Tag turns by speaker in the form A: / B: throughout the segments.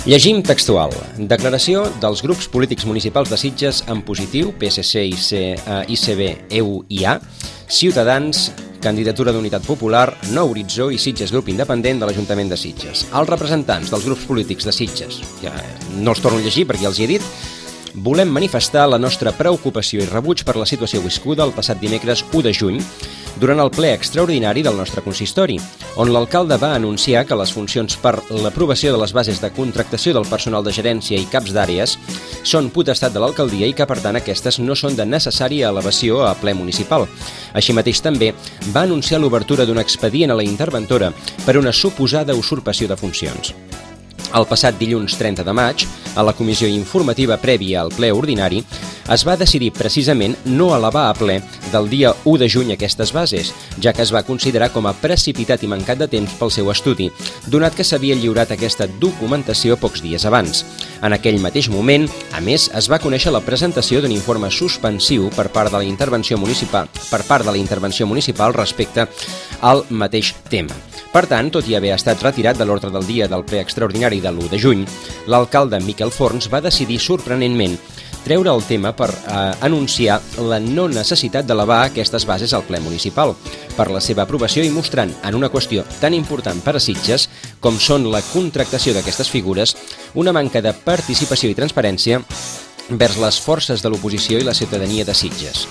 A: Llegim textual. Declaració dels grups polítics municipals de Sitges en positiu, PSC, ICB, EU i A, Ciutadans, Candidatura d'Unitat Popular, Nou Horitzó i Sitges Grup Independent de l'Ajuntament de Sitges. Els representants dels grups polítics de Sitges, ja no els torno a llegir perquè ja els hi he dit, volem manifestar la nostra preocupació i rebuig per la situació viscuda el passat dimecres 1 de juny durant el ple extraordinari del nostre consistori, on l'alcalde va anunciar que les funcions per l'aprovació de les bases de contractació del personal de gerència i caps d'àrees són potestat de l'alcaldia i que, per tant, aquestes no són de necessària elevació a ple municipal. Així mateix, també va anunciar l'obertura d'un expedient a la interventora per una suposada usurpació de funcions. El passat dilluns 30 de maig, a la comissió informativa prèvia al ple ordinari, es va decidir precisament no elevar a ple del dia 1 de juny aquestes bases, ja que es va considerar com a precipitat i mancat de temps pel seu estudi, donat que s'havia lliurat aquesta documentació pocs dies abans. En aquell mateix moment, a més, es va conèixer la presentació d'un informe suspensiu per part de la intervenció municipal respecte al mateix tema. Per tant, tot i haver estat retirat de l'ordre del dia del ple extraordinari de l'1 de juny, l'alcalde Miquel Forns va decidir sorprenentment treure el tema per anunciar la no necessitat d'elevar aquestes bases al ple municipal per la seva aprovació i mostrant en una qüestió tan important per a Sitges com són la contractació d'aquestes figures una manca de participació i transparència vers les forces de l'oposició i la ciutadania de Sitges.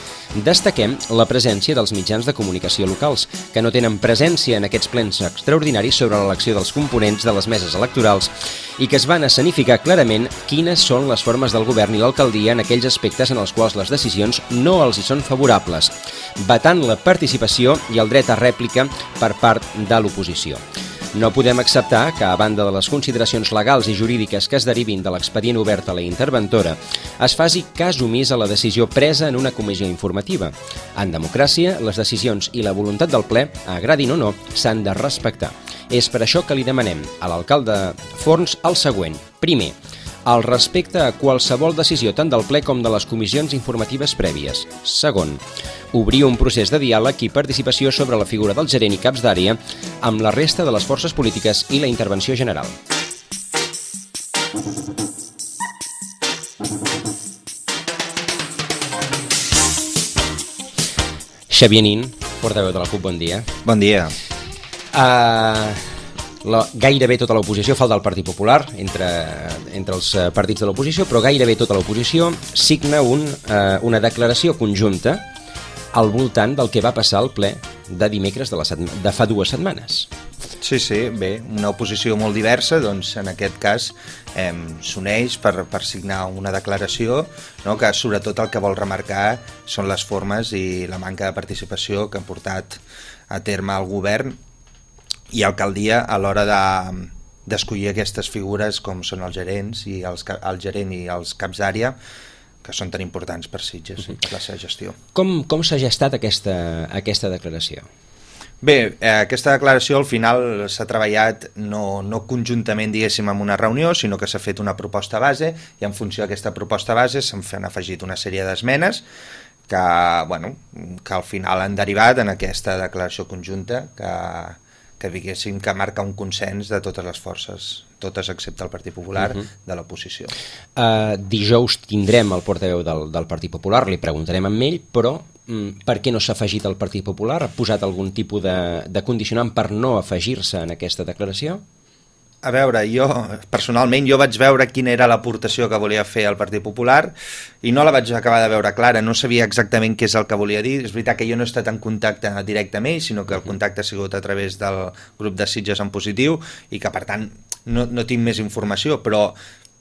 A: Destaquem la presència dels mitjans de comunicació locals, que no tenen presència en aquests plens extraordinaris sobre l'elecció dels components de les meses electorals i que es van escenificar clarament quines són les formes del govern i l'alcaldia en aquells aspectes en els quals les decisions no els hi són favorables, vetant la participació i el dret a rèplica per part de l'oposició. No podem acceptar que, a banda de les consideracions legals i jurídiques que es derivin de l'expedient obert a la interventora, es faci cas omís a la decisió presa en una comissió informativa. En democràcia, les decisions i la voluntat del ple, agradin o no, s'han de respectar. És per això que li demanem a l'alcalde Forns el següent. Primer, el respecte a qualsevol decisió tant del ple com de les comissions informatives prèvies. Segon, obrir un procés de diàleg i participació sobre la figura del gerent i caps d'àrea amb la resta de les forces polítiques i la intervenció general. Xavier Nin, portaveu de la CUP, bon dia.
B: Bon dia.
A: Gairebé tota l'oposició, falta el Partit Popular entre els partits de l'oposició, però gairebé tota l'oposició signa una declaració conjunta al voltant del que va passar al ple de dimecres de fa 2 setmanes.
B: Sí, bé, una oposició molt diversa, doncs en aquest cas s'uneix per signar una declaració, no, que sobretot el que vol remarcar són les formes i la manca de participació que han portat a terme el govern i alcaldia a l'hora d'escollir aquestes figures com són els gerents i el gerent i els caps d'àrea, que són tan importants per Sitges i per la seva gestió.
A: Com s'ha gestat aquesta declaració?
B: Bé, aquesta declaració al final s'ha treballat no conjuntament, diguéssim, en una reunió, sinó que s'ha fet una proposta base i en funció d'aquesta proposta base s'han afegit una sèrie d'esmenes que al final han derivat en aquesta declaració conjunta que diguéssim que marca un consens de totes les forces, totes excepte el Partit Popular, de l'oposició.
A: Dijous tindrem el portaveu del Partit Popular, li preguntarem amb ell, però per què no s'ha afegit el Partit Popular? Ha posat algun tipus de condicionant per no afegir-se en aquesta declaració?
B: A veure, personalment vaig veure quina era l'aportació que volia fer el Partit Popular i no la vaig acabar de veure clara, no sabia exactament què és el que volia dir. És veritat que jo no he estat en contacte directe amb ell, sinó que el contacte ha sigut a través del grup de Sitges en positiu i que per tant no tinc més informació, però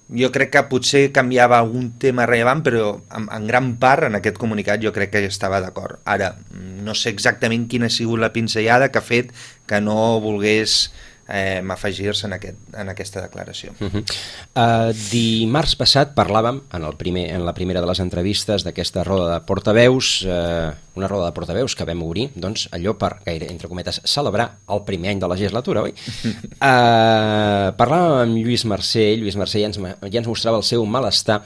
B: jo crec que potser canviava algun tema rellevant, però en gran part en aquest comunicat jo crec que ja estava d'acord. Ara, no sé exactament quina ha sigut la pinzellada que ha fet que no volgués afegir-se en aquesta declaració.
A: Dimarts passat parlàvem en la primera de les entrevistes d'aquesta roda de portaveus, una roda de portaveus que vam obrir, doncs allò per, gaire, entre cometes, celebrar el primer any de legislatura, oi? Parlàvem amb Lluís Mercè ja ens mostrava el seu malestar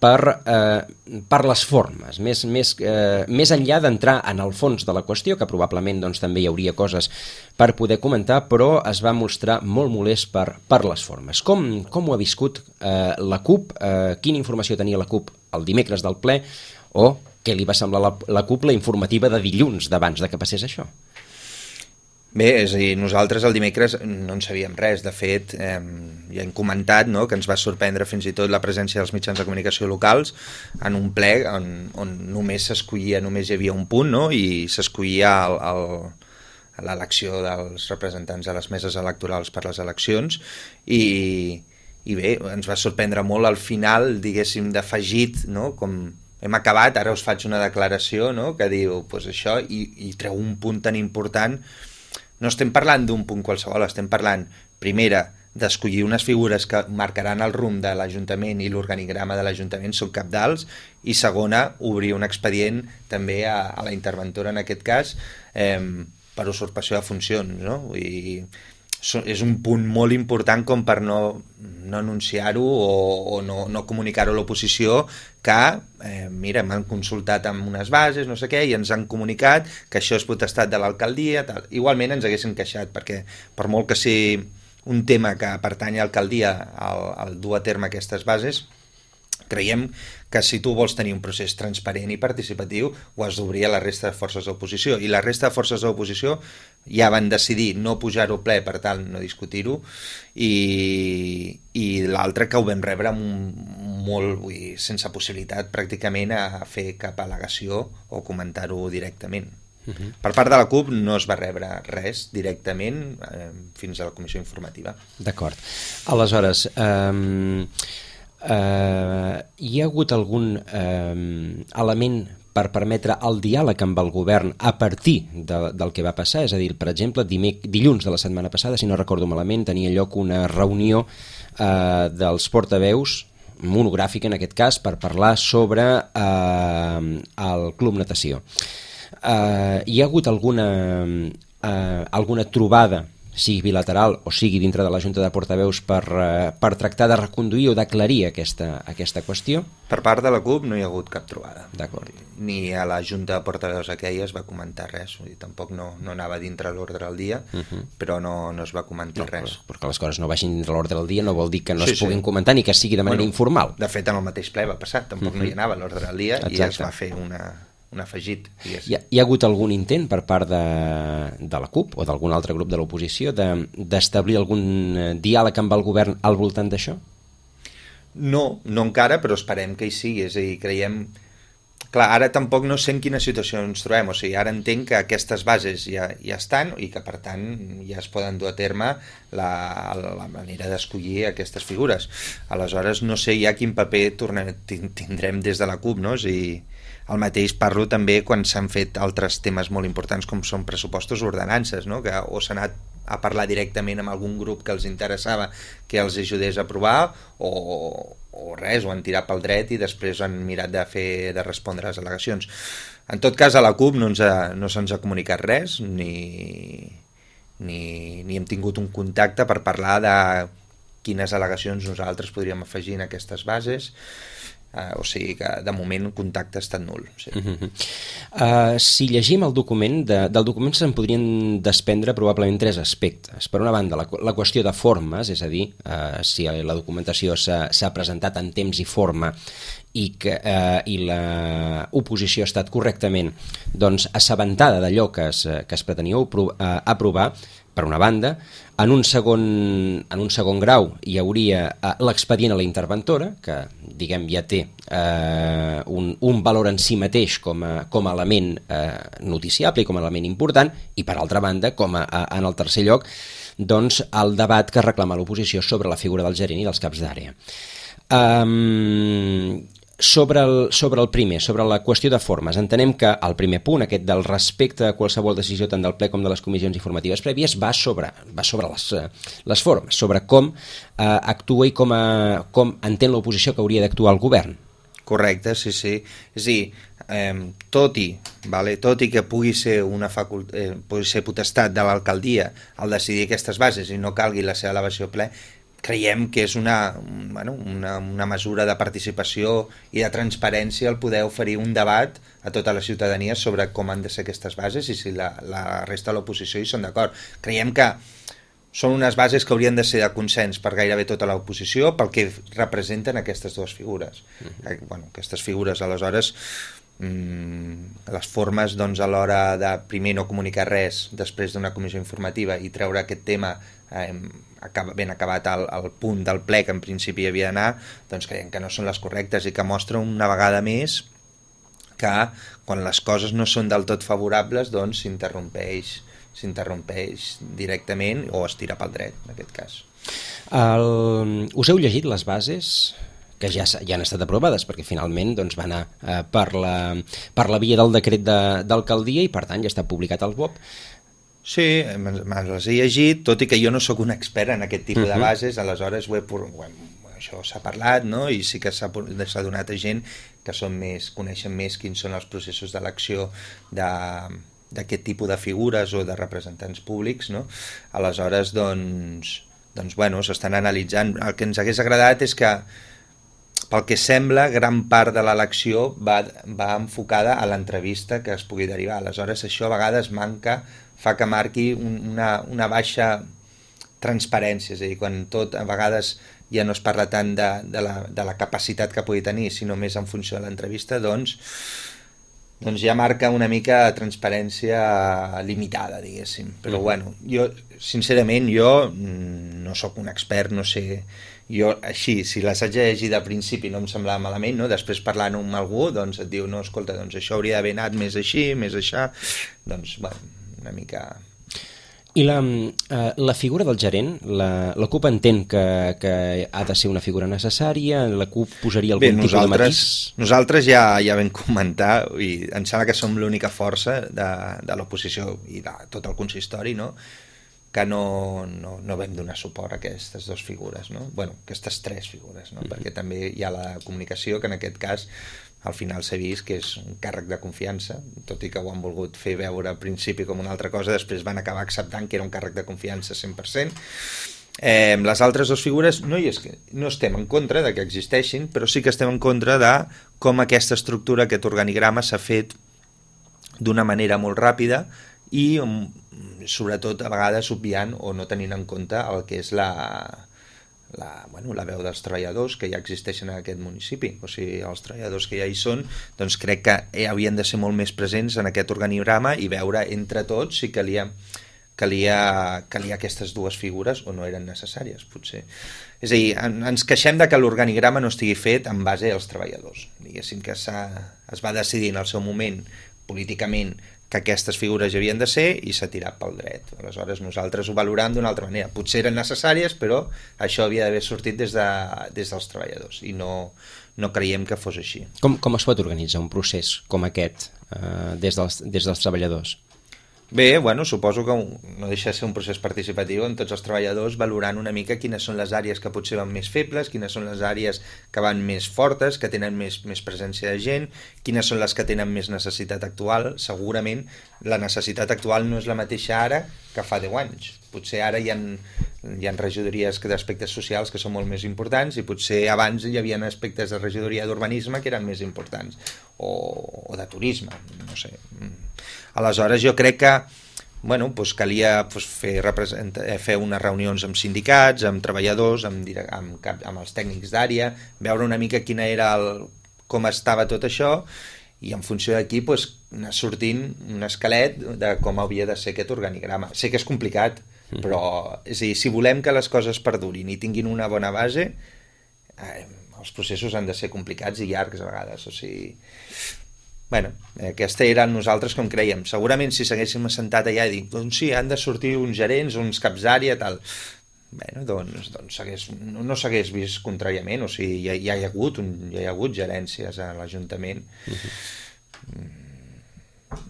A: per les formes, més enllà d'entrar en el fons de la qüestió, que probablement doncs, també hi hauria coses per poder comentar, però es va mostrar molt molest per les formes. Com ho ha viscut la CUP? Quina informació tenia la CUP el dimecres del ple? O què li va semblar la CUP la informativa de dilluns d'abans de que passés això?
B: Bé, és a dir, nosaltres el dimecres no en sabíem res. De fet, ja hem comentat, no?, que ens va sorprendre fins i tot la presència dels mitjans de comunicació locals en un ple on només s'escollia, només hi havia un punt, no?, i s'escollia l'elecció dels representants de les meses electorals per les eleccions, i bé, ens va sorprendre molt al final, diguéssim, d'afegit, no?, com hem acabat, ara us faig una declaració, no?, que diu, pues això, i treu un punt tan important. No estem parlant d'un punt qualsevol, estem parlant, primera, d'escollir unes figures que marcaran el rumb de l'Ajuntament i l'organigrama de l'Ajuntament, són cabdals, i segona, obrir un expedient també a la interventora, en aquest cas, per usurpació de funcions, no? I és un punt molt important com per no anunciar-ho o no comunicar-ho a l'oposició que, mira, m'han consultat amb unes bases, no sé què, i ens han comunicat que això és potestat de l'alcaldia, tal. Igualment ens haguessin queixat, perquè per molt que sigui un tema que pertany a l'alcaldia al dur a terme aquestes bases, creiem que si tu vols tenir un procés transparent i participatiu ho has d'obrir a la resta de forces d'oposició, i la resta de forces d'oposició ja van decidir no pujar-ho ple, per tal no discutir-ho, i l'altre que ho vam rebre sense possibilitat pràcticament a fer cap al·legació o comentar-ho directament. Per part de la CUP no es va rebre res directament fins a la comissió informativa.
A: D'acord. Aleshores, hi ha hagut algun element per permetre el diàleg amb el govern a partir del que va passar? És a dir, per exemple, dilluns de la setmana passada, si no recordo malament, tenia lloc una reunió dels portaveus, monogràfica en aquest cas, per parlar sobre el Club Natació. Hi ha hagut alguna trobada, sigui bilateral o sigui dintre de la Junta de Portaveus, per tractar de reconduir o d'aclarir aquesta qüestió?
B: Per part de la CUP no hi ha hagut cap trobada.
A: D'acord.
B: Ni a la Junta de Portaveus aquella es va comentar res. Vull dir, tampoc no anava dintre l'ordre del dia, però no es va comentar res.
A: Perquè les coses no vagin dintre l'ordre del dia no vol dir que no es puguin comentar ni que sigui de manera informal.
B: De fet, en el mateix ple va passar, tampoc no hi anava l'ordre del dia. Exacte. I es va fer un afegit.
A: Hi ha hagut algun intent per part de la CUP o d'algun altre grup de l'oposició d'establir algun diàleg amb el govern al voltant d'això?
B: No encara, però esperem que hi sigui. És a dir, creiem... Clar, ara tampoc no sé en quina situació ens trobem. O sigui, ara entenc que aquestes bases ja estan i que, per tant, ja es poden dur a terme la manera d'escollir aquestes figures. Aleshores, no sé ja quin paper tindrem des de la CUP, no? I el mateix parlo també quan s'han fet altres temes molt importants com són pressupostos o ordenances, no? Que o s'ha anat a parlar directament amb algun grup que els interessava que els ajudés a aprovar o res, o han tirat pel dret i després han mirat de respondre a les al·legacions. En tot cas, a la CUP no se'ns ha comunicat res ni hem tingut un contacte per parlar de quines al·legacions nosaltres podríem afegir en aquestes bases. O sigui que de moment el contacte ha estat nul. Sí.
A: Si llegim el document, del document se'n podrien desprendre probablement tres aspectes. Per una banda, la qüestió de formes, és a dir, si la documentació s'ha presentat en temps i forma i l'oposició ha estat correctament assabentada d'allò que es pretenia aprovar, per una banda. En un segon grau hi hauria l'expedient a la interventora, que diguem ja té un valor en si mateix com a element noticiable i com a element important, i per altra banda, en el tercer lloc, el debat que reclama l'oposició sobre la figura del gerent i dels caps d'àrea. Sobre el primer, sobre la qüestió de formes, entenem que el primer punt, aquest del respecte a qualsevol decisió tant del ple com de les comissions informatives prèvies, va sobre les formes, sobre com actua i com entén l'oposició que hauria d'actuar el govern.
B: Correcte, sí. És a dir, tot i que pugui ser potestat de l'alcaldia al decidir aquestes bases i no calgui la seva elevació a ple, creiem que és una mesura de participació i de transparència el poder oferir un debat a tota la ciutadania sobre com han de ser aquestes bases i si la resta de l'oposició hi són d'acord. Creiem que són unes bases que haurien de ser de consens per gairebé tota l'oposició pel que representen aquestes dues figures. Aquestes figures, aleshores, les formes a l'hora de primer no comunicar res després d'una comissió informativa i treure aquest tema ben acabat al punt del ple que en principi havia d'anar, doncs creiem que no són les correctes i que mostra una vegada més que quan les coses no són del tot favorables doncs s'interrompeix directament o es tira pel dret, en aquest cas.
A: Us heu llegit les bases que ja han estat aprovades, perquè finalment doncs, va anar per la via del decret d'alcaldia i per tant ja està publicat al BOP.
B: Sí, me les he llegit, tot i que jo no sóc un expert en aquest tipus de bases, aleshores això s'ha parlat, no? I sí que s'ha donat a gent que coneixen més quins són els processos d'elecció d'aquest tipus de figures o de representants públics, no? Aleshores, s'estan analitzant. El que ens hagués agradat és que, pel que sembla, gran part de l'elecció va enfocada a l'entrevista que es pugui derivar. Aleshores, això a vegades fa que marqui una baixa transparència, és a dir, quan tot a vegades ja no es parla tant de la capacitat que pugui tenir, sinó més en funció de l'entrevista, doncs ja marca una mica transparència limitada, diguéssim. Però jo, sincerament, no sóc un expert, no sé, jo així, si les haig de llegir de principi no em semblava malament, no? Després parlant amb algú, doncs et diu, no, escolta, doncs això hauria d'haver anat més així, més això, doncs, una mica...
A: I la figura del gerent, la CUP entén que ha de ser una figura necessària, la CUP posaria algun tipus de matís?
B: Nosaltres ja vam comentar, i em sembla que som l'única força de l'oposició i de tot el consistori, no?, que no vam donar suport a aquestes dues figures, no? Aquestes tres figures, no? Perquè també hi ha la comunicació, que en aquest cas al final s'ha vist que és un càrrec de confiança, tot i que ho han volgut fer veure al principi com una altra cosa, després van acabar acceptant que era un càrrec de confiança 100%. Les altres dues figures no estem en contra de que existeixin, però sí que estem en contra de com aquesta estructura, aquest organigrama s'ha fet d'una manera molt ràpida i sobretot a vegades obviant o no tenint en compte el que és la veu dels treballadors que ja existeixen en aquest municipi. O sigui, els treballadors que ja hi són, doncs crec que havien de ser molt més presents en aquest organigrama i veure entre tots si calia aquestes dues figures o no eren necessàries, potser. És a dir, ens queixem de que l'organigrama no estigui fet en base als treballadors. Diguéssim que es va decidir en el seu moment políticament que aquestes figures hi havien de ser i s'ha tirat pel dret. Aleshores nosaltres ho valorem d'una altra manera. Potser eren necessàries, però això havia d'haver sortit des dels treballadors i no creiem que fos així.
A: Com es pot organitzar un procés com aquest des dels treballadors?
B: Bé, suposo que no deixa de ser un procés participatiu en tots els treballadors valorant una mica quines són les àrees que potser van més febles, quines són les àrees que van més fortes, que tenen més presència de gent, quines són les que tenen més necessitat actual. Segurament la necessitat actual no és la mateixa ara que fa 10 anys. Potser ara hi ha regidories d'aspectes socials que són molt més importants i potser abans hi havia aspectes de regidoria d'urbanisme que eren més importants o de turisme, no sé. Aleshores jo crec que calia fer unes reunions amb sindicats, amb treballadors, amb els tècnics d'àrea, veure una mica com estava tot això i en funció d'aquí anar sortint un esquelet de com havia de ser aquest organigrama. Sé que és complicat, però és a dir, si volem que les coses perdurin i tinguin una bona base, els processos han de ser complicats i llargs a vegades, o sigui... aquesta era nosaltres com creiem. Segurament si s'haguéssim assentat allà i dit, doncs sí, han de sortir uns gerents, uns caps d'àrea, tal... doncs no s'hagués vist contràriament, o sigui, ja hi ha hagut gerències a l'Ajuntament.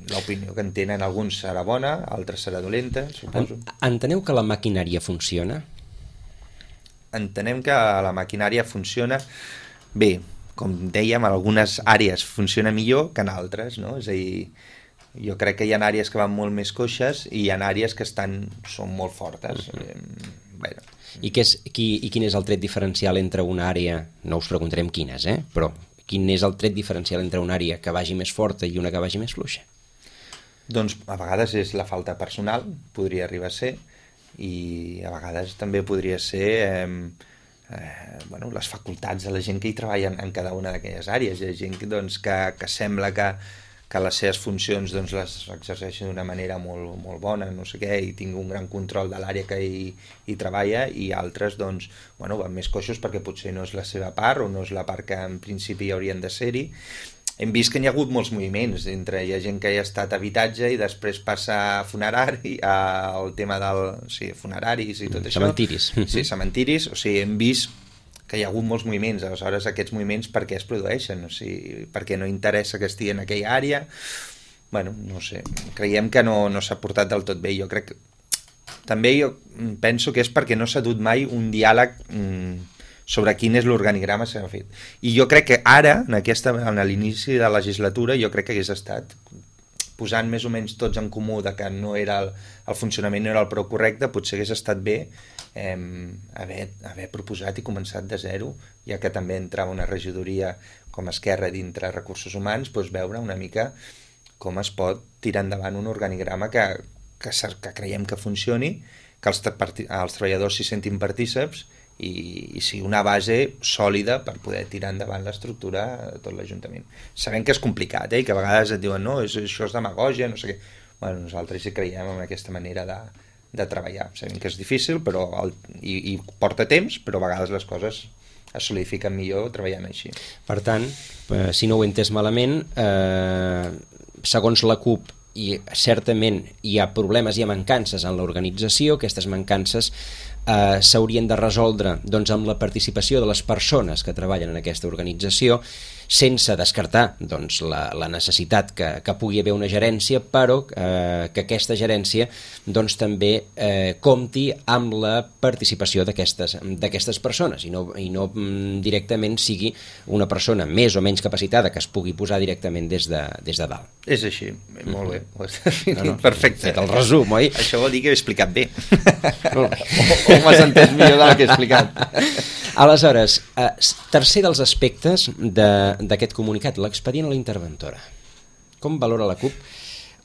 B: L'opinió que en tenen alguns serà bona, altres serà dolenta, suposo.
A: Enteneu que la maquinària funciona?
B: Entenem que la maquinària funciona bé. Com dèiem, en algunes àrees funciona millor que en altres, no? És a dir, jo crec que hi ha àrees que van molt més coixes i hi ha àrees que són molt fortes. Bueno.
A: I quin és el tret diferencial entre una àrea, no us preguntarem quines, però quin és el tret diferencial entre una àrea que vagi més forta i una que vagi més fluixa?
B: Doncs a vegades és la falta personal, podria arribar a ser, i a vegades també podria ser les facultats de la gent que hi treballa en cada una d'aquelles àrees. Hi ha gent doncs, que sembla que les seves funcions doncs, les exerceixen d'una manera molt, molt bona, no sé què, i tingui un gran control de l'àrea que hi treballa, i altres doncs, van més coixos perquè potser no és la seva part o no és la part que en principi haurien de ser-hi. Hem vist que hi ha hagut molts moviments, hi ha gent que hi ha estat a habitatge i després passa a funerari, al tema funeraris i tot això.
A: Cementiris.
B: Sí, cementiris, o sigui, hem vist que hi ha hagut molts moviments. Aleshores, aquests moviments per què es produeixen? O sigui, perquè no interessa que estigui en aquella àrea? Bueno, no sé, creiem que no s'ha portat del tot bé. Jo crec que també jo penso que és perquè no s'ha dut mai un diàleg sobre quin és l'organigrama que s'ha fet. I jo crec que ara, en l'inici de la legislatura, jo crec que hagués estat posant més o menys tots en comú de que no era el funcionament no era el prou correcte, potser hagués estat bé haver proposat i començat de zero, ja que també entrava una regidoria com a Esquerra dintre Recursos Humans, doncs veure una mica com es pot tirar endavant un organigrama que creiem que funcioni, que els treballadors s'hi sentin partíceps i sigui una base sòlida per poder tirar endavant l'estructura de tot l'Ajuntament. Sabem que és complicat, i que a vegades et diuen no, això és demagògia, no sé què. Bueno, nosaltres hi creiem en aquesta manera de treballar. Sabem que és difícil i porta temps, però a vegades les coses es solidifiquen millor treballant així.
A: Per tant, si no ho he entès malament, segons la CUP, i certament hi ha problemes, hi ha mancances en l'organització, aquestes mancances s'haurien de resoldre doncs, amb la participació de les persones que treballen en aquesta organització, sense descartar doncs, la necessitat que pugui haver una gerència, però que aquesta gerència doncs, també compti amb la participació d'aquestes persones i no directament sigui una persona més o menys capacitada que es pugui posar directament des de dalt.
B: És així, molt bé, ho has definit perfecte.
A: Fet el resum, oi?
B: Això vol dir que he explicat bé. O m'has entès millor del que he explicat.
A: Aleshores, tercer dels aspectes d'aquest comunicat, l'expedient a la interventora. Com valora la CUP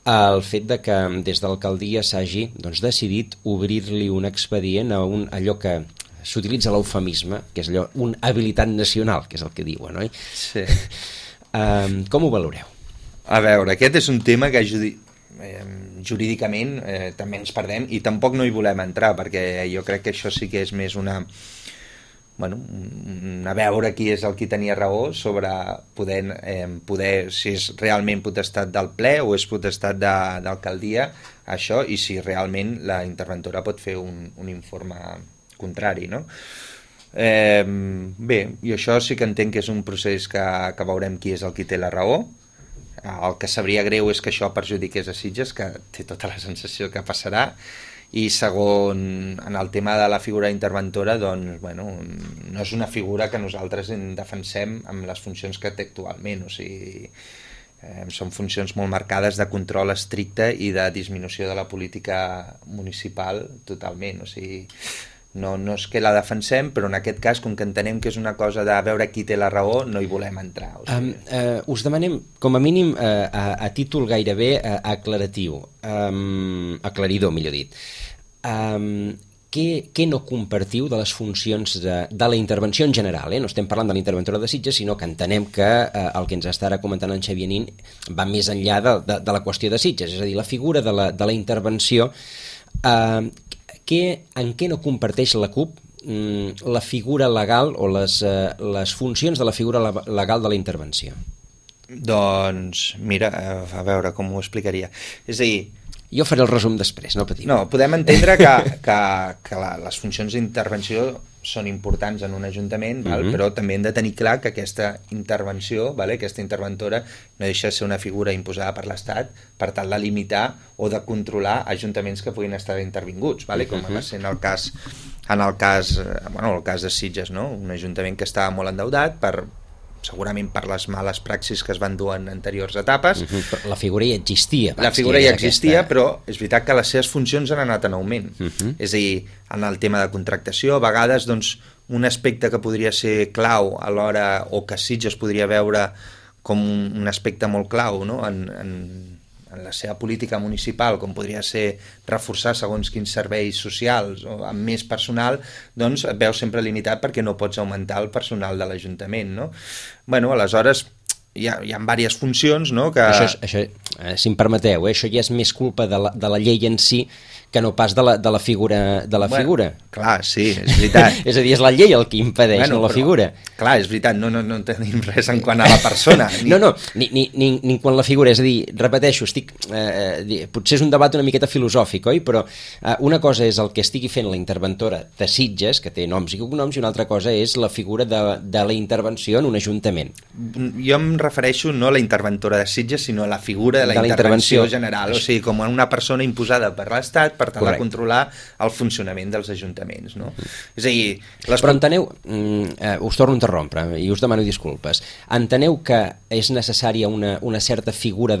A: el fet de que des de l'alcaldia s'hagi decidit obrir-li un expedient a allò que s'utilitza l'eufemisme, que és allò, un habilitant nacional, que és el que diuen, oi?
B: Sí.
A: Com ho valoreu?
B: A veure, aquest és un tema que jurídicament també ens perdem i tampoc no hi volem entrar, perquè jo crec que això sí que és més a veure qui és el qui tenia raó sobre poder si és realment potestat del ple o és potestat d'alcaldia, això, i si realment la interventora pot fer un informe contrari, no? Bé, i això sí que entenc que és un procés que veurem qui és el qui té la raó. El que sabria greu és que això perjudiqués a Sitges, que té tota la sensació que passarà, i segon, en el tema de la figura interventora, doncs, no és una figura que nosaltres en defensem amb les funcions que té actualment, o sigui, són funcions molt marcades de control estricte i de disminució de la política municipal totalment, o sigui, no és que la defensem, però en aquest cas, com que entenem que és una cosa de veure qui té la raó, no hi volem entrar. O sigui.
A: Us demanem, com a mínim, a títol gairebé aclaratiu, aclaridor, millor dit, què no compartiu de les funcions de la intervenció en general? No estem parlant de la interventora de Sitges, sinó que entenem que el que ens està ara comentant en Xavier Nin va més enllà de la qüestió de Sitges, és a dir, la figura de la intervenció. En què no comparteix la CUP la figura legal o les funcions de la figura legal de la intervenció?
B: Doncs, mira, a veure com ho explicaria. És a dir...
A: Jo faré el resum després, no patiu.
B: No, podem entendre que les funcions d'intervenció són importants en un ajuntament, però també hem de tenir clar que aquesta intervenció, aquesta interventora, no deixa de ser una figura imposada per l'Estat per tal de limitar o de controlar ajuntaments que puguin estar intervinguts, com va ser en el cas de Sitges, no? Un ajuntament que estava molt endeutat per segurament per les males praxis que es van dur en anteriors etapes.
A: Però la figura ja existia.
B: La figura ja existia, però és veritat que les seves funcions han anat en augment. És a dir, en el tema de contractació, a vegades doncs, un aspecte que podria ser clau a l'hora, o que Sitges podria veure com un aspecte molt clau, no? en la seva política municipal, com podria ser reforçar segons quins serveis socials o amb més personal, doncs et veus sempre limitat perquè no pots augmentar el personal de l'Ajuntament, no? Bueno, aleshores hi ha diverses funcions, no? Que...
A: Això, si em permeteu, això ja és més culpa de la llei en si que no pas de la figura. Figura.
B: Clar, sí, és veritat.
A: És a dir, és la llei el que impedeix, no la figura.
B: Clar, és veritat, no tenim res en quant a la persona.
A: Ni quan la figura, és a dir, repeteixo, potser és un debat una miqueta filosòfic, oi? Però una cosa és el que estigui fent la interventora de Sitges, que té noms i cognoms, i una altra cosa és la figura de la intervenció en un ajuntament.
B: Jo em refereixo no a la interventora de Sitges, sinó a la figura de la intervenció general, o sigui, com una persona imposada per l'Estat per tal de controlar el funcionament dels ajuntaments, no? És a dir...
A: Però enteneu, us torno a interrompre i us demano disculpes, enteneu que és necessària una certa figura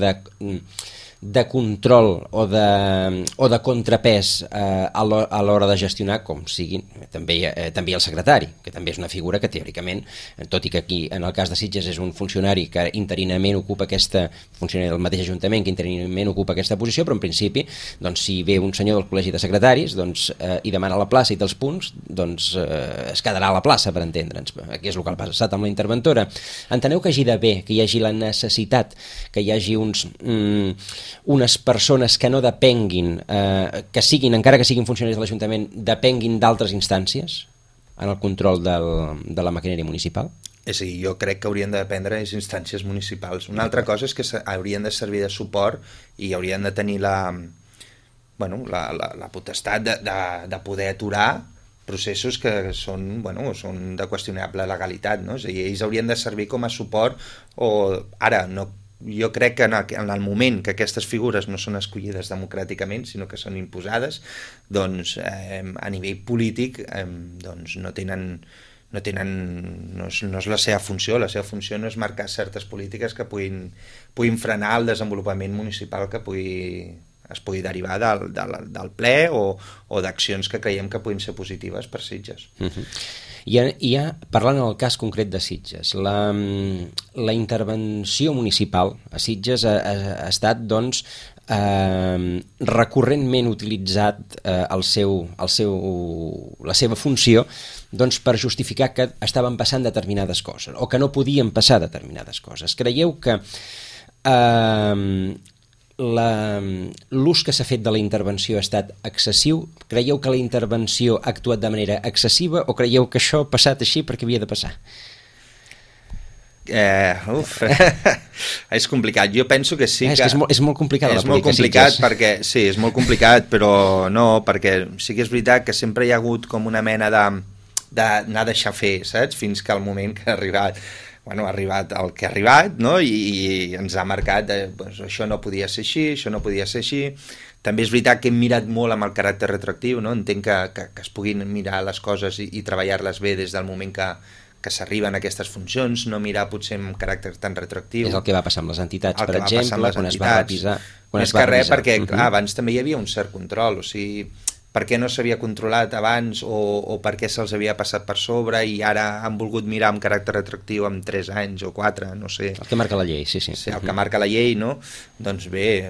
A: de control o de contrapès a l'hora de gestionar, com siguin també el secretari, que també és una figura que teòricament, tot i que aquí en el cas de Sitges és un funcionari que interinament ocupa funcionari del mateix Ajuntament que interinament ocupa aquesta posició, però en principi doncs, si ve un senyor del col·legi de secretaris doncs, i demana la plaça i dels punts, doncs es quedarà a la plaça, per entendre'ns, que és el que ha passat amb la interventora. Enteneu que hagi d'haver, que hi hagi la necessitat, que hi hagi unes persones que no depenguin, que siguin, encara que siguin funcionaris de l'Ajuntament, depenguin d'altres instàncies en el control de la maquinària municipal?
B: És a dir, jo crec que haurien de dependre de les instàncies municipals. Una altra cosa és que haurien de servir de suport i haurien de tenir la potestat de poder aturar processos que són de qüestionable legalitat, no? És a dir, ells haurien de servir com a suport jo crec que en el moment que aquestes figures no són escollides democràticament, sinó que són imposades, doncs a nivell polític doncs no és la seva funció. La seva funció no és marcar certes polítiques que puguin frenar el desenvolupament municipal que es pugui derivar del ple o d'accions que creiem que puguin ser positives per Sitges.
A: I parlant en el cas concret de Sitges, la intervenció municipal a Sitges ha estat doncs, recurrentment utilitzat la seva funció doncs, per justificar que estaven passant determinades coses o que no podien passar determinades coses. Creieu que l'ús que s'ha fet de la intervenció ha estat excessiu? Creieu que la intervenció ha actuat de manera excessiva o creieu que això ha passat així perquè havia de passar?
B: És complicat. Jo penso que sí que...
A: És molt complicat la
B: política. És molt complicat perquè... Sí, és molt complicat, però no, perquè sí que és veritat que sempre hi ha hagut com una mena d'anar a deixar fer, saps? Fins que el moment que ha arribat ha arribat el que ha arribat, no? I ens ha marcat això no podia ser així, això no podia ser així. També és veritat que hem mirat molt amb el caràcter retroactiu, no? Entenc que es puguin mirar les coses i treballar-les bé des del moment que s'arriben a aquestes funcions, no mirar potser amb caràcter tan retroactiu.
A: És el que va passar amb les entitats, per exemple, quan es va revisar.
B: Més que res perquè, clar, abans també hi havia un cert control, o sigui, per què no s'havia controlat abans o per què se'ls havia passat per sobre i ara han volgut mirar amb caràcter retroactiu amb 3 anys o 4, no sé.
A: El que marca la llei, sí.
B: Sí, el que marca la llei, no? Doncs bé,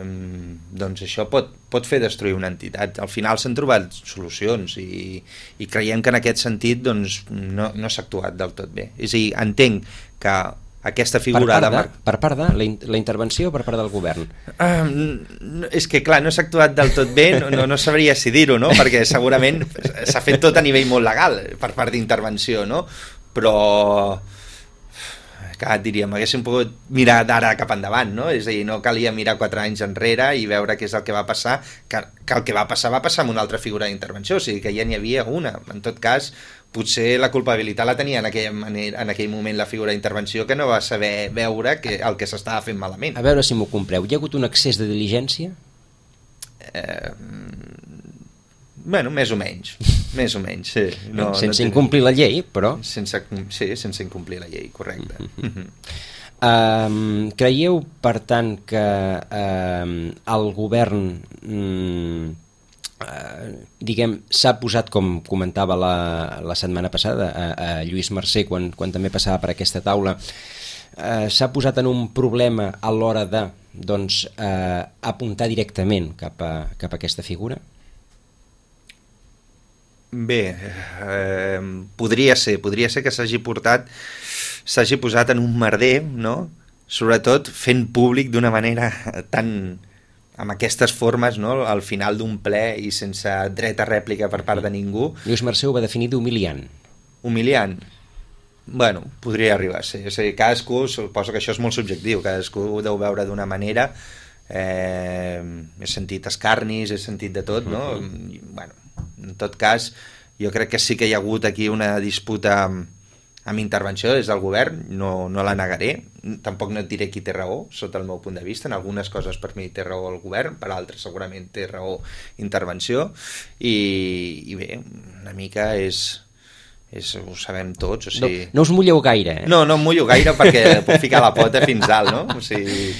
B: doncs això pot fer destruir una entitat. Al final s'han trobat solucions i creiem que en aquest sentit doncs, no s'ha actuat del tot bé. És a dir, entenc que aquesta figura
A: per part de la intervenció o per part del govern?
B: És que clar, no s'ha actuat del tot bé, no sabria si dir-ho, no? Perquè segurament s'ha fet tot a nivell molt legal per part d'intervenció, no? Però diríem, haguéssim pogut mirar d'ara cap endavant, no? És a dir, no calia mirar 4 anys enrere i veure què és el que va passar, que el que va passar amb una altra figura d'intervenció, o sigui que ja n'hi havia una. En tot cas, potser la culpabilitat la tenia en aquell moment la figura d'intervenció que no va saber veure el que s'estava fent malament.
A: A veure si m'ho compreu. Hi ha hagut un excés de diligència?
B: Més o menys. Més o menys, sí.
A: Sense incomplir la llei, però...
B: Sense incomplir la llei, correcte.
A: Creieu, per tant, que el govern diguem, s'ha posat, com comentava la setmana passada a Lluís Mercè quan també passava per aquesta taula, s'ha posat en un problema a l'hora de apuntar directament cap a aquesta figura?
B: Bé, podria ser que s'hagi posat en un merder, no? Sobretot fent públic d'una manera tan, amb aquestes formes, no? Al final d'un ple i sense dret a rèplica per part de ningú.
A: Lluís Mercè ho va definir d'humiliant.
B: Humiliant? Bueno, podria arribar a ser. És a dir, cadascú, suposo que això és molt subjectiu, cadascú ho deu veure d'una manera. He sentit escarnis, he sentit de tot, no? Bueno, en tot cas, jo crec que sí que hi ha hagut aquí una disputa amb intervenció des del govern, no la negaré, tampoc no et diré qui té raó, sota el meu punt de vista, en algunes coses per mi té raó el govern, per altres segurament té raó intervenció, i bé, una mica ho sabem tots, o sigui...
A: No us mulleu gaire, eh?
B: No em mullo gaire perquè puc ficar la pota fins dalt, no? O sigui...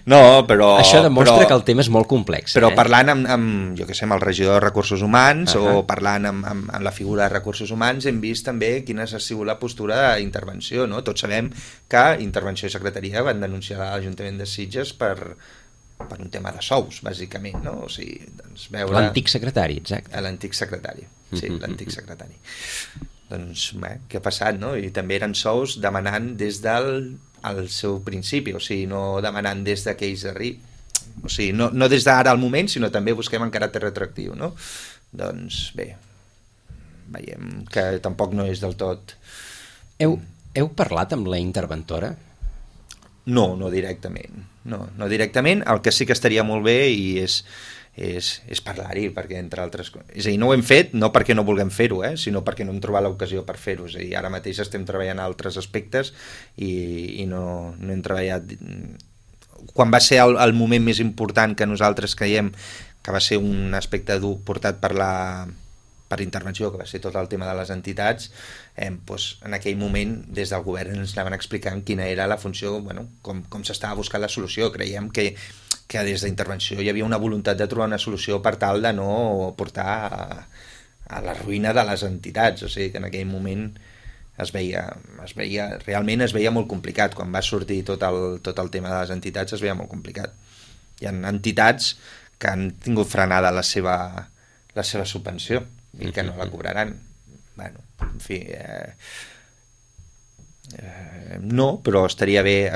B: No, però...
A: Això demostra que el tema és molt complex.
B: Però parlant amb jo què sé, amb el regidor de Recursos Humans o parlant amb la figura de Recursos Humans hem vist també quina ha sigut la postura d'intervenció, no? Tots sabem que Intervenció i Secretaria van denunciar l'Ajuntament de Sitges per un tema de sous, bàsicament, no? O sigui, doncs veure...
A: L'antic secretari, exacte.
B: L'antic secretari, sí, l'antic secretari. Doncs bé, què ha passat, no? I també eren sous demanant des del seu principi, o sigui, no demanant des d'aquells o sigui, no des d'ara al moment, sinó també busquem en caràcter retroactiu, no? Doncs bé, veiem que tampoc no és del tot...
A: Heu parlat amb la interventora?
B: No directament. No directament, el que sí que estaria molt bé i és parlar-hi, perquè entre altres coses... És a dir, no ho hem fet, no perquè no vulguem fer-ho, sinó perquè no hem trobat l'ocasió per fer-ho. És a dir, ara mateix estem treballant altres aspectes i no hem treballat... Quan va ser el moment més important que nosaltres creiem que va ser un aspecte dur portat per intervenció, que va ser tot el tema de les entitats, doncs en aquell moment des del govern ens anaven explicant quina era la funció, bueno, com s'estava buscant la solució. Creiem que des d'intervenció hi havia una voluntat de trobar una solució per tal de no portar a la ruïna de les entitats, o sigui que en aquell moment realment es veia molt complicat. Quan va sortir tot el tema de les entitats es veia molt complicat. Hi ha entitats que han tingut frenada la seva subvenció i que no la cobraran. Bueno, en fi... no, però estaria bé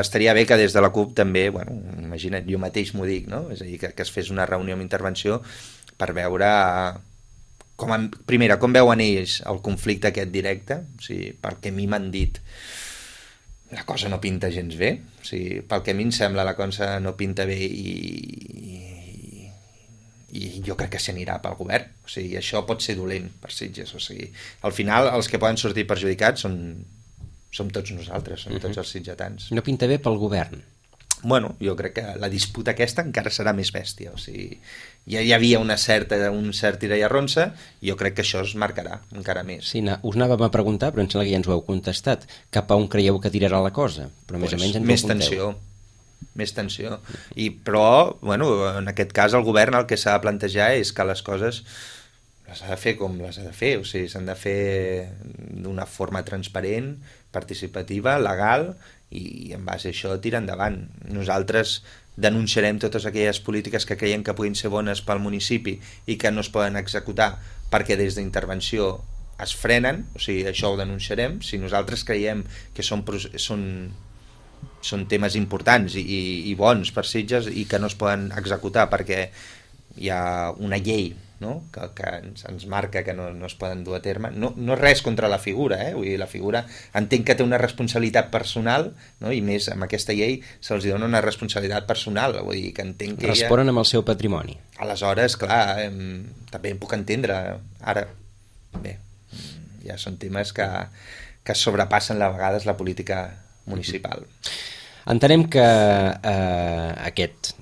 B: que des de la CUP també, bueno, imagina't, jo mateix m'ho dic, no? És a dir, que es fes una reunió amb intervenció per veure com veuen ells el conflicte aquest directe, o sigui, pel que a mi m'han dit la cosa no pinta gens bé, o sigui, pel que a mi em sembla la cosa no pinta bé i jo crec que s'anirà pel govern, o sigui, això pot ser dolent per Sitges, o sigui, al final els que poden sortir perjudicats som tots nosaltres, som tots els sitgetans.
A: No pinta bé pel govern?
B: Bueno, jo crec que la disputa aquesta encara serà més bèstia, o sigui, ja hi havia un cert ira i arronsa, i jo crec que això es marcarà encara més.
A: Sí, us anàvem a preguntar, però em sembla que ja ens ho heu contestat. Cap a on creieu que tirarà la cosa? Però més o menys ens ho apunteu.
B: Més tensió. Però, bueno, en aquest cas el govern el que s'ha de plantejar és que les coses les ha de fer com les ha de fer, o sigui, s'han de fer d'una forma transparent, participativa, legal, i en base a això tirar endavant. Nosaltres denunciarem totes aquelles polítiques que creiem que puguin ser bones pel municipi i que no es poden executar perquè des d'intervenció es frenen, o sigui, això ho denunciarem. Si nosaltres creiem que són temes importants i bons per Sitges i que no es poden executar perquè hi ha una llei, no? que ens marca que no es poden dur a terme, no res contra la figura, vull dir, la figura entenc que té una responsabilitat personal, no? I més amb aquesta llei se'ls dona una responsabilitat personal, vull dir que entenc que
A: responen amb el seu patrimoni.
B: Aleshores, clar, també em puc entendre ara, bé, ja són temes que sobrepassen a vegades la política municipal.
A: Entenem que aquest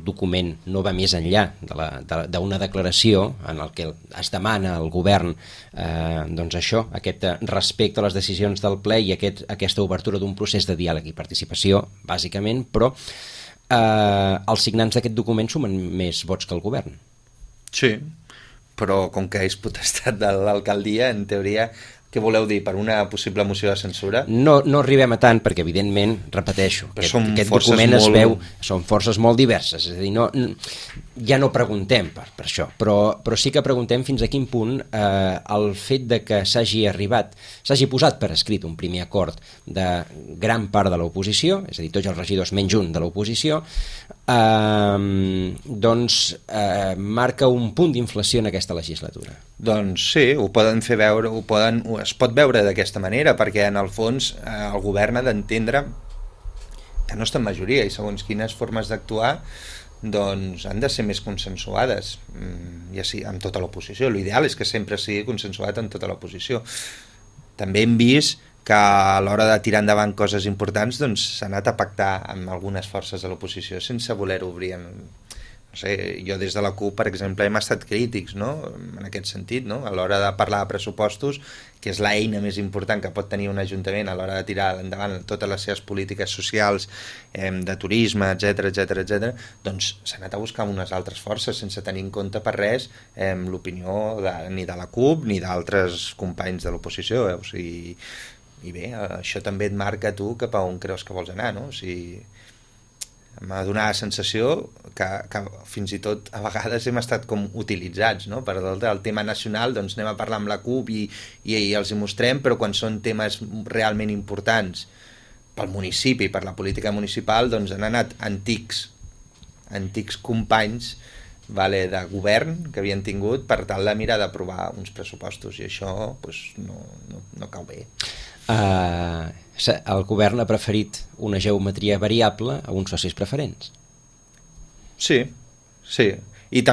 A: document no va més enllà d'una declaració en el que es demana al govern doncs això, aquest respecte a les decisions del ple i aquesta obertura d'un procés de diàleg i participació, bàsicament, però els signants d'aquest document sumen més vots que el govern.
B: Sí, però com que és potestat de l'alcaldia, en teoria, què voleu dir? Per una possible moció de censura?
A: No arribem a tant, perquè evidentment, repeteixo, aquest document es veu, són forces molt diverses, és a dir, ja no preguntem per això, però sí que preguntem fins a quin punt el fet de que s'hagi posat per escrit un primer acord de gran part de l'oposició, és a dir, tots els regidors menys un de l'oposició, marca un punt d'inflació en aquesta legislatura.
B: Doncs sí, ho poden fer veure, es pot veure d'aquesta manera, perquè en el fons el govern ha d'entendre que no està en majoria i segons quines formes d'actuar doncs han de ser més consensuades, ja sí, amb tota l'oposició. L'ideal és que sempre sigui consensuat amb tota l'oposició. També hem vist que a l'hora de tirar endavant coses importants doncs s'ha anat a pactar amb algunes forces de l'oposició sense voler-ho obrir no sé, jo des de la CUP, per exemple, hem estat crítics, no? En aquest sentit, no? A l'hora de parlar de pressupostos, que és l'eina més important que pot tenir un ajuntament a l'hora de tirar endavant totes les seves polítiques socials, de turisme, etc, doncs s'ha anat a buscar unes altres forces sense tenir en compte per res l'opinió ni de la CUP ni d'altres companys de l'oposició. O sigui, i bé, això també et marca tu cap a on creus que vols anar, no? O sigui, m'ha donat la sensació que fins i tot a vegades hem estat com utilitzats, no? Per el tema nacional doncs anem a parlar amb la CUP i els hi mostrem, però quan són temes realment importants pel municipi, per la política municipal, doncs han anat antics companys de govern que havien tingut per tal de mirar d'aprovar uns pressupostos, i això doncs, no cau bé.
A: El govern ha preferit una geometria variable a uns socis preferents.
B: Sí. I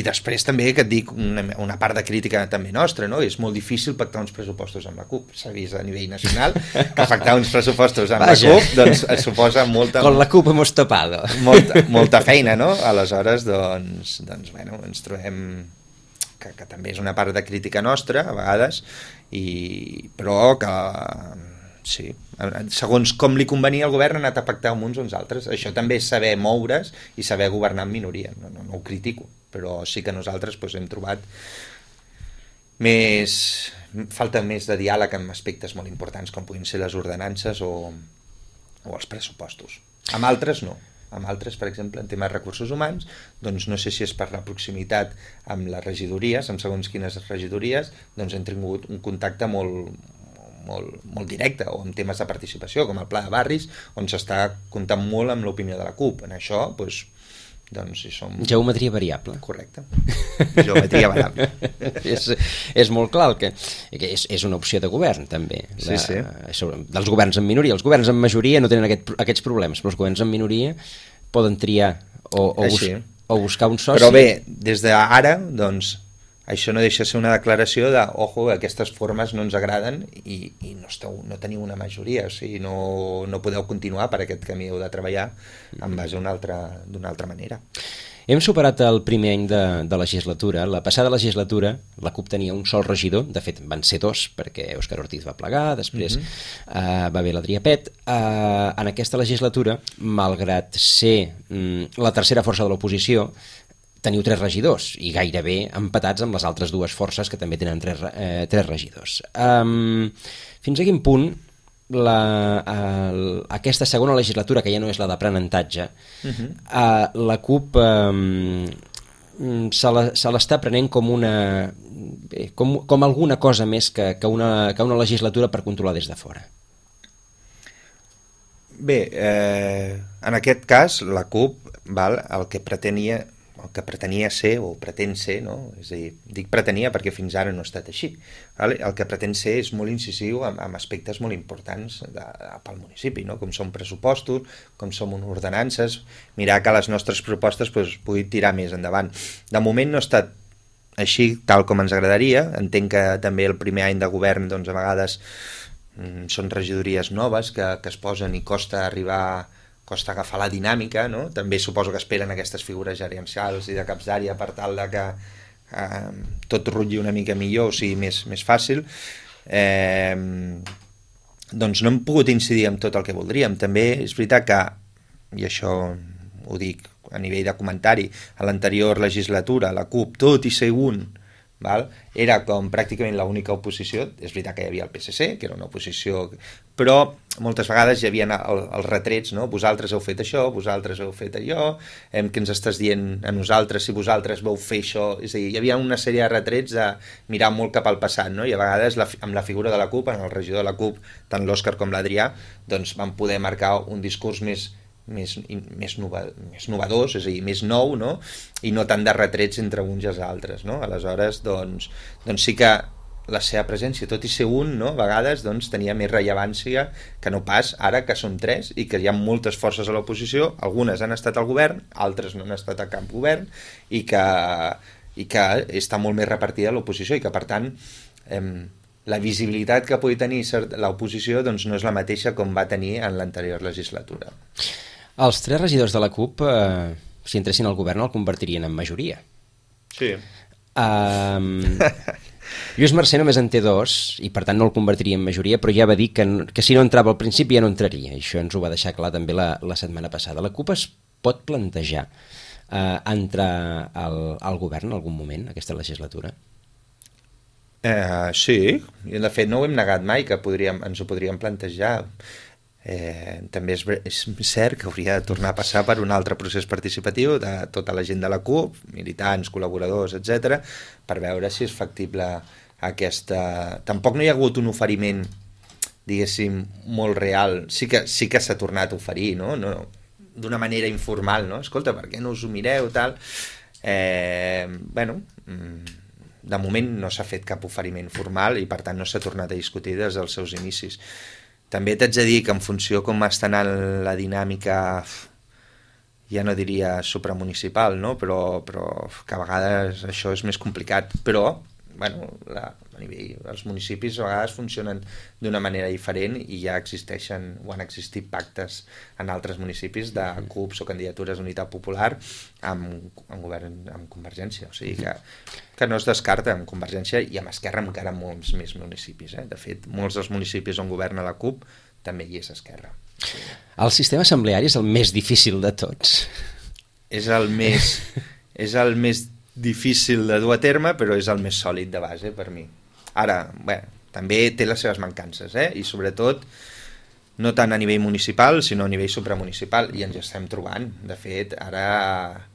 B: després també que et dic una part de crítica també nostra, no? És molt difícil pactar uns pressupostos amb la CUP. S'ha vist a nivell nacional que pactar uns pressupostos amb la CUP doncs es suposa molta...
A: Con la CUP hemos topado.
B: Molta feina, no? Aleshores, doncs bueno, ens trobem que també és una part de crítica nostra, a vegades, però que sí, segons com li convenia al govern ha anat a pactar amb uns o uns altres. Això també és saber moure's i saber governar en minoria, no ho critico, però sí que nosaltres hem trobat falta més de diàleg en aspectes molt importants com puguin ser les ordenances o els pressupostos. Amb altres no. Amb altres, per exemple, en temes de recursos humans, doncs no sé si és per la proximitat amb les regidories, amb segons quines regidories, doncs hem tingut un contacte molt directe, o en temes de participació, com el Pla de Barris, on s'està comptant molt amb l'opinió de la CUP. En això, doncs hi som...
A: Geometria variable.
B: Correcte. Geometria variable.
A: és molt clar que és una opció de govern, també.
B: Sí.
A: Dels governs en minoria. Els governs en majoria no tenen aquests problemes, però els governs en minoria poden triar o buscar un soci.
B: Però bé, des d'ara, doncs, això no deixa de ser una declaració de, ojo, aquestes formes no ens agraden i no teniu una majoria, o sigui, no podeu continuar per aquest camí, heu de treballar en base d'una altra manera.
A: Hem superat el primer any de legislatura. La passada legislatura la CUP tenia un sol regidor, de fet van ser dos, perquè Òscar Ortiz va plegar, després va haver l'Adrià Pet. En aquesta legislatura, malgrat ser la tercera força de l'oposició, teniu 3 regidors i gairebé empatats amb les altres dues forces que també tenen 3 regidors. Fins a quin punt aquesta segona legislatura, que ja no és la d'aprenentatge, la CUP se l'està prenent com alguna cosa més que una legislatura per controlar des de fora?
B: Bé, en aquest cas la CUP el que pretenia ser o pretén ser, no? És a dir, dic pretenia perquè fins ara no ha estat així. El que pretén ser és molt incisiu amb aspectes molt importants pel municipi, no? Com són pressupostos, com són ordenances, mirar que les nostres propostes puguin tirar més endavant. De moment no ha estat així tal com ens agradaria. Entenc que també el primer any de govern doncs, a vegades són regidories noves que es posen i costa agafar la dinàmica, no? També suposo que esperen aquestes figures gerencials i de caps d'àrea per tal de que tot rutlli una mica millor, o sigui, més fàcil. Doncs no hem pogut incidir en tot el que voldríem. També és veritat que, i això ho dic a nivell de comentari, a l'anterior legislatura la CUP, tot i ser un, era com pràcticament l'única oposició. És veritat que hi havia el PSC, que era una oposició, però moltes vegades hi havia els retrets, no? Vosaltres heu fet això, vosaltres heu fet allò, què ens estàs dient a nosaltres si vosaltres vau fer això? És a dir, hi havia una sèrie de retrets de mirar molt cap al passat, no? I a vegades amb la figura de la CUP, en el regidor de la CUP, tant l'Òscar com l'Adrià, doncs van poder marcar un discurs més novedós, és a dir, més nou, no? I no tant de retrets entre uns i els altres, no? Aleshores, doncs sí que la seva presència, tot i ser un, no? A vegades doncs, tenia més rellevància que no pas ara que som tres i que hi ha moltes forces a l'oposició, algunes han estat al govern, altres no han estat a cap govern, i que està molt més repartida l'oposició i que, per tant, la visibilitat que pugui tenir l'oposició doncs, no és la mateixa com va tenir en l'anterior legislatura.
A: Els 3 regidors de la CUP, si entressin al govern, el convertirien en majoria.
B: Sí.
A: Lluís Mercè només en té 2 i per tant no el convertiria en majoria, però ja va dir que si no entrava al principi ja no entraria. Això ens ho va deixar clar també la setmana passada. La CUP es pot plantejar entrar al govern en algun moment, aquesta legislatura?
B: Sí, i de fet no ho hem negat mai, que ens ho podríem plantejar. També és cert que hauria de tornar a passar per un altre procés participatiu de tota la gent de la CUP, militants, col·laboradors, etc., per veure si és factible aquesta... Tampoc no hi ha hagut un oferiment, diguéssim, molt real. Sí que s'ha tornat a oferir, no? D'una manera informal, no? Escolta, per què no us ho mireu, tal? De moment no s'ha fet cap oferiment formal i per tant no s'ha tornat a discutir des dels seus inicis. També t'haig de dir que en funció com està anant la dinàmica, ja no diria supramunicipal, no? però que a vegades això és més complicat, però a nivell, els municipis a vegades funcionen d'una manera diferent i ja existeixen o han existit pactes en altres municipis de CUPs o candidatures d'unitat popular amb govern, amb Convergència, o sigui que no es descarta amb Convergència i amb Esquerra encara molts més municipis. De fet, molts dels municipis on governa la CUP també hi és Esquerra.
A: El sistema assembleari és el més difícil de tots.
B: És el més difícil de dur a terme, però és el més sòlid de base per mi. Ara, també té les seves mancances, i sobretot no tant a nivell municipal, sinó a nivell supramunicipal, i ens hi estem trobant. De fet, ara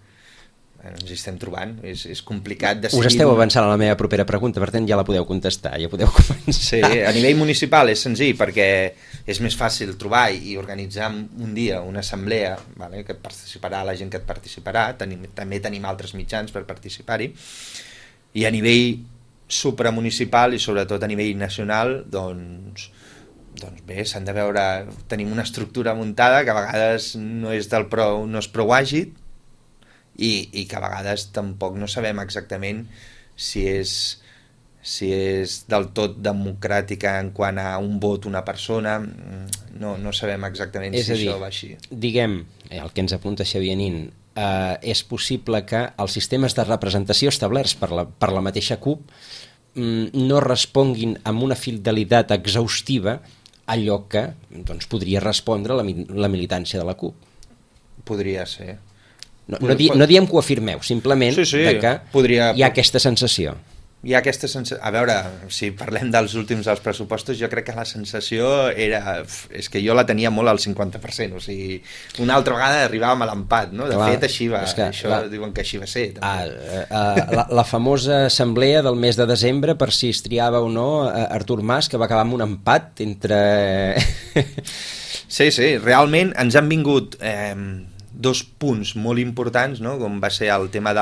B: ens hi estem trobant, és complicat decidir...
A: Us esteu avançant a la meva propera pregunta, per tant ja la podeu contestar, ja podeu començar.
B: Sí, a nivell municipal és senzill perquè és més fàcil trobar i organitzar un dia una assemblea, que participarà la gent que et participarà, també tenim altres mitjans per participar-hi, i a nivell supramunicipal i sobretot a nivell nacional, doncs bé, s'han de veure, tenim una estructura muntada que a vegades no és prou àgil, i que a vegades tampoc no sabem exactament si és del tot democràtica en quant a un vot una persona, no sabem exactament si això va així.
A: Diguem, el que ens apunta Xavier Nin, és possible que els sistemes de representació establerts per la mateixa CUP no responguin amb una fidelitat exhaustiva allò que podria respondre la militància de la CUP.
B: Podria ser.
A: No diem que ho afirmeu, simplement que hi ha aquesta sensació.
B: Hi ha aquesta sensació... A veure, si parlem dels últims dels pressupostos, jo crec que la sensació és que jo la tenia molt al 50%, o sigui, una altra vegada arribàvem a l'empat, no? De fet, així va, diuen que així va ser.
A: La famosa assemblea del mes de desembre, per si es triava o no Artur Mas, que va acabar amb un empat entre...
B: Sí, realment ens han vingut... 2 punts molt importants, no? Com va ser el tema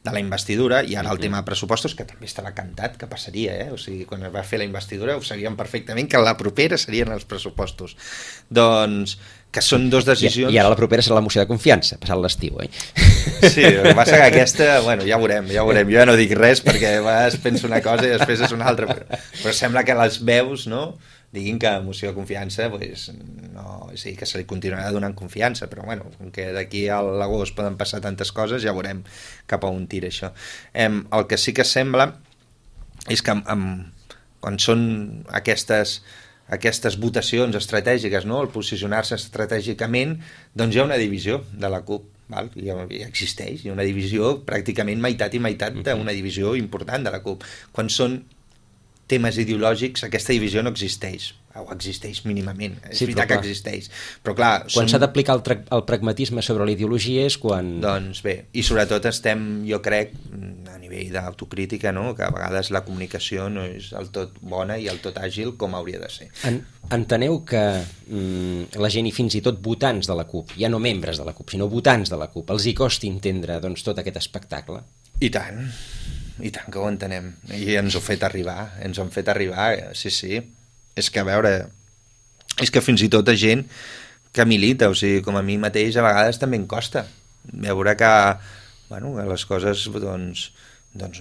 B: de la investidura, i ara el tema de pressupostos, que també estava cantat que passaria, o sigui, quan es va fer la investidura ho sabíem perfectament que la propera serien els pressupostos. Doncs que són dues decisions...
A: I ara la propera serà la moció de confiança, passat l'estiu,
B: Sí, el que passa que aquesta, bueno, ja veurem. Jo ja no dic res perquè a vegades penso una cosa i després és una altra, però sembla que les veus, no?, diguin que moció de confiança, pues, no, sí, que se li continuarà donant confiança, però bueno, com que d'aquí a l'agost poden passar tantes coses, ja veurem cap a on tira això. El que sí que sembla és que quan són aquestes votacions estratègiques, no?, el posicionar-se estratègicament, doncs hi ha una divisió de la CUP, val? Ja existeix, hi ha una divisió pràcticament meitat i meitat d'una divisió important de la CUP. Quan són temes ideològics, aquesta divisió no existeix, o existeix mínimament, és veritat que existeix, però clar...
A: Quan s'ha d'aplicar el pragmatisme sobre l'ideologia és quan...
B: Doncs bé, i sobretot estem, jo crec, a nivell d'autocrítica, no?, que a vegades la comunicació no és del tot bona i del tot àgil com hauria de ser.
A: Enteneu que la gent i fins i tot votants de la CUP, ja no membres de la CUP, sinó votants de la CUP, els hi costi entendre doncs, tot aquest espectacle?
B: I tant que ho entenem, i ens ho han fet arribar, sí. És que, a veure, és que fins i tot a gent que milita, o sigui, com a mi mateix a vegades també em costa veure que, bueno, que les coses doncs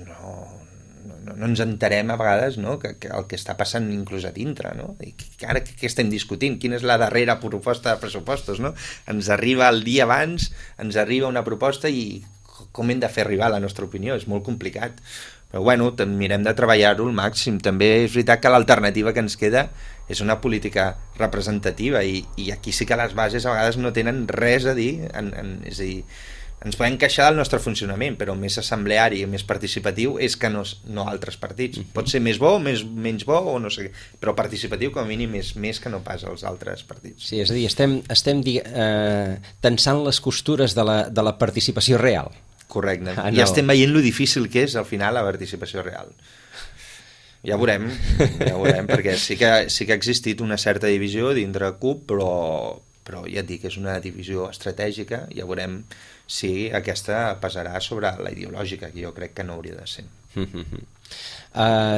B: no ens enterem a vegades, no?, que el que està passant inclús a dintre, no?, i ara què estem discutint, quina és la darrera proposta de pressupostos, no?, ens arriba el dia abans, ens arriba una proposta i com hem de fer arribar la nostra opinió, és molt complicat, però bueno, mirem de treballar-ho al màxim. També és veritat que l'alternativa que ens queda és una política representativa i aquí sí que les bases a vegades no tenen res a dir, és a dir, ens podem queixar del nostre funcionament, però més assembleari i més participatiu és que no altres partits. Pot ser més bo, menys bo o no sé què, però participatiu com a mínim és més que no pas els altres partits.
A: Sí, és a dir, estem tensant les costures de la participació real.
B: Correcte. I estem veient lo difícil que és al final la participació real. Ja veurem, perquè sí que ha existit una certa divisió dintre CUP, però ja et dic, és una divisió estratègica, ja veurem si aquesta passarà sobre la ideològica, que jo crec que no hauria de ser.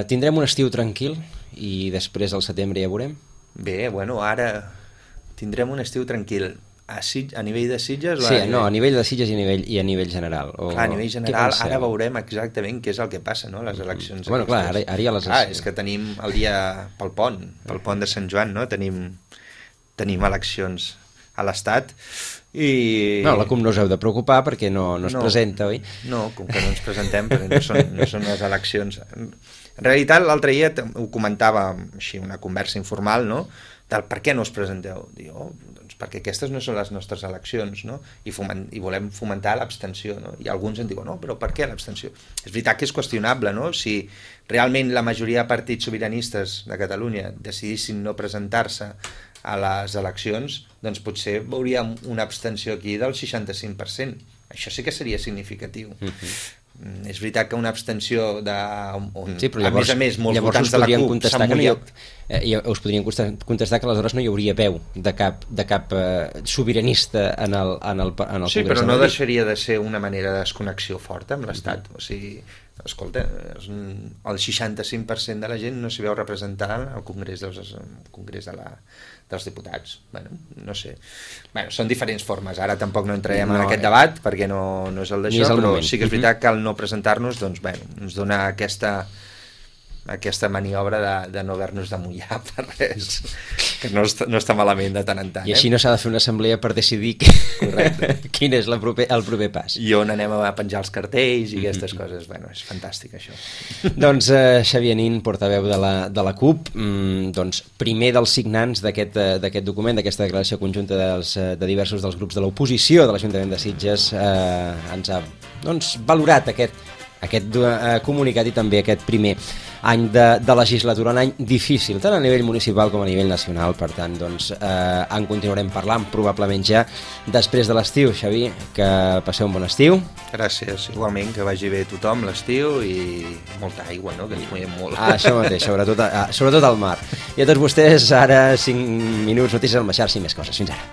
A: Tindrem un estiu tranquil i després al setembre ja veurem?
B: Bé, bueno, ara tindrem un estiu tranquil. A nivell de Sitges?
A: Sí, no, a nivell de Sitges i a nivell general.
B: Clar, a nivell general, ara veurem exactament què és el que passa, no?, les eleccions.
A: Bueno, clar, ara hi ha les...
B: És que tenim el dia pel pont de Sant Joan, no?, tenim eleccions a l'Estat i...
A: No, la CUP no us heu de preocupar perquè no es presenta, oi?
B: No, com que no ens presentem perquè no són les eleccions. En realitat, l'altre dia ho comentava així, una conversa informal, no?, del per què no us presenteu. Diu, doncs perquè aquestes no són les nostres eleccions, no?, i volem fomentar l'abstenció, no?, i alguns en diuen, no, però per què l'abstenció? És veritat que és qüestionable, no?, si realment la majoria de partits sobiranistes de Catalunya decidissin no presentar-se a les eleccions, doncs potser veuríem una abstenció aquí del 65%. Això sí que seria significatiu. És veritat que una abstenció
A: sí, però llavors,
B: a més molts votants de la CUP s'han mullat.
A: Us podrien contestar que aleshores no hi hauria veu de cap sobiranista en el Congrés.
B: Sí, però no deixaria de ser una manera de desconnexió forta amb l'Estat. O sigui, escolta, el 65% de la gent no s'hi veu representant al Congrés dels Diputats. Bueno, no sé. Bueno, són diferents formes. Ara tampoc no entrarem en aquest debat perquè no és el d'això, però sí que és veritat que al no presentar-nos, doncs, bueno, ens dona aquesta maniobra de no haver-nos de mullar per res, que no està malament de tant en tant.
A: I així no s'ha de fer una assemblea per decidir quin és el proper pas.
B: I on anem a penjar els cartells i aquestes coses. Bueno, és fantàstic això.
A: Doncs Xavier Nin, portaveu de la CUP, doncs primer dels signants d'aquest document, d'aquesta declaració conjunta de diversos dels grups de l'oposició de l'Ajuntament de Sitges, ens ha valorat aquest comunicat i també aquest primer any de legislatura, un any difícil, tant a nivell municipal com a nivell nacional. Per tant, doncs, en continuarem parlant probablement ja després de l'estiu. Xavi, que passeu un bon estiu.
B: Gràcies, igualment, que vagi bé tothom l'estiu i molta aigua, no?, que ens moiem molt.
A: Això mateix, sobretot al mar. I a tots vostès, ara 5 minuts, notícies al Maxar, 5 més coses. Fins ara.